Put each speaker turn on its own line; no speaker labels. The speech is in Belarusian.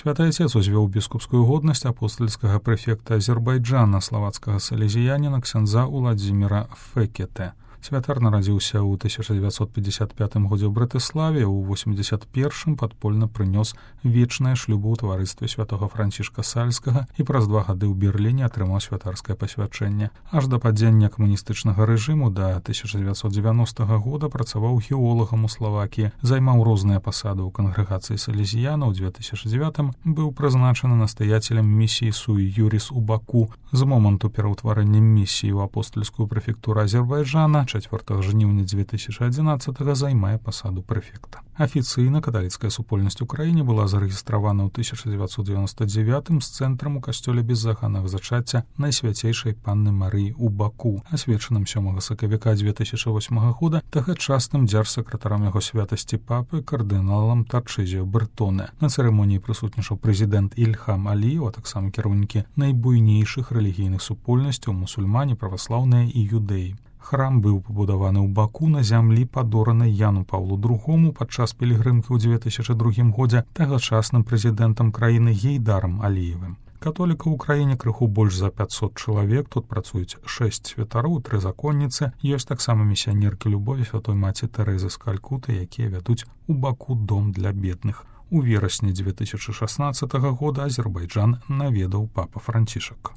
Святы Отец узвёў біскупскую годнасць апостальскага прэфекта Азербайджана, славацкага салезіяніна ксяндза Уладзіміра Фекете. Святар нарадзіўся ў 1955 годзе ў Братыславе, у 81-м падпольна прынёс вечнае шлюбу ў таварыстве святога Францішка Сальскага і праз 2 гады ў Берліне атрымаў святарскае пасвячэнне. Аж да падзення камуністычнага рэжыму да 1990 года працаваў геолагам у Славакіі, займаў розныя пасады ў кангрэгацыі салезіяна. У 2009-м быў прызначаны настаяцелем місіі Суй Юрис у Баку. З моманту пераўтварэння місіі ў апостальскую прэфектуру Азербайджана 4 жніўня 2011 займае пасаду прэфекта. Афіцыйна каталіцкая супольнасць у краіне была зарэгістравана ў 1999 з цэнтрам у касцёле беззаганнага зачацця Найсвяцейшай Панны Марыі ў Баку, асвечаным 7 сакавіка 2008 года тагачасным дзяржсакратарам яго святасці папы кардыналам Тарчызіо Бертоне. На цырымоніі прысутнічаў прэзідэнт Ільхам Аліеў, а таксама кіраўнікі найбуйнейшых рэлігійных супольнасцяў мусульмане, праваслаўныя і юдэі. Храм быў пабудаваны ў Баку на зямлі, падоранай Яну Паўлу II падчас пілігрымкі ў 2002 годзе тагачасным прэзідэнтам краіны Гейдарам Аліевым. Католікаў у краіне крыху больш за 500 чалавек, тут працуюць 6 святароў, 3 законніцы, ёсць таксама місіянеркі любові святой маці Тэрэзы з Калькуты, якія вядуць у Баку дом для бедных. У верасні 2016 года Азербайджан наведаў папа Францішак.